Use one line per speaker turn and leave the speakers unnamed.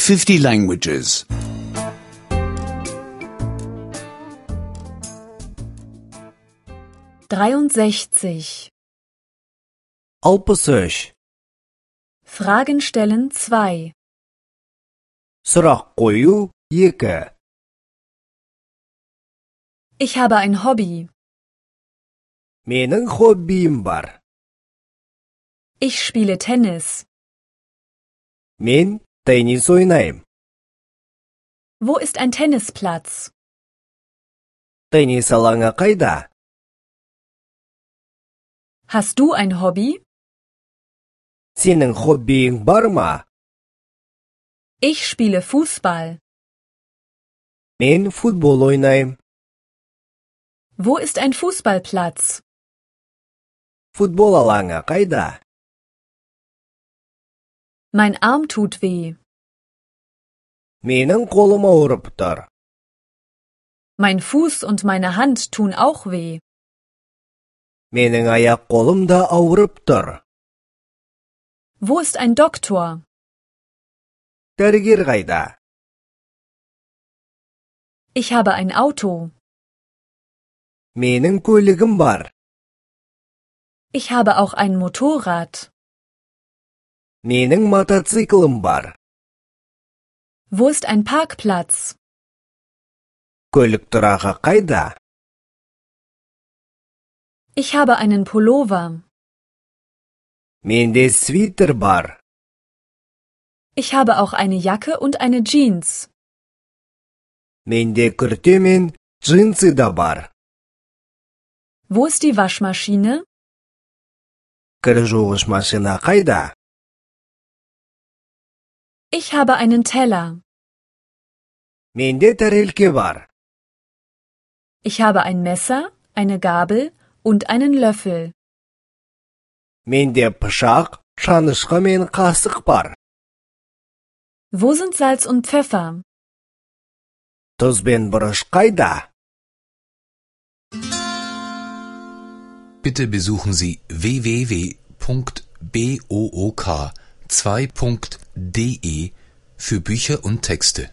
50 languages.
63.
63.
Fragen stellen 2.
Сұрақ қою 2.
Ich habe ein Hobby.
Менің хоббиім бар.
Ich spiele Tennis.
Мен теннис ойнаймын.
Wo ist ein Tennisplatz?
Теннис алаңы қайда?
Hast du ein Hobby?
Сенің хоббиің бар ма?
Ich spiele Fußball.
Мен футбол ойнаймын.
Wo ist ein Fußballplatz?
Футбол алаңы қайда?
Mein Arm tut weh.
Менің қолым ауырып тұр.
Mein Fuß und meine Hand tun auch weh.
Менің аяқ қолым да ауырып тұр.
Wo ist ein Doktor?
Дәрігер қайда?
Ich habe ein Auto.
Менің көлігім бар.
Ich habe auch ein Motorrad.
Менің мотоциклім бар.
Wo ist ein Parkplatz?
Көлік тұрағы қайда?
Ich habe einen Pullover.
Менде свитер бар.
Ich habe auch eine Jacke und eine Jeans.
Менде күрте мен джинсы да бар.
Wo ist die Waschmaschine?
Кір жуғыш машина қайда?
Ich habe einen Teller.
Менде тәрелке бар.
Ich habe ein Messer, eine Gabel und einen Löffel.
Менде пышақ, шанышқы мен қасық бар.
Wo sind Salz und Pfeffer?
Тұз бен бұрыш қайда?
Bitte besuchen Sie www.book2.de für Bücher und Texte.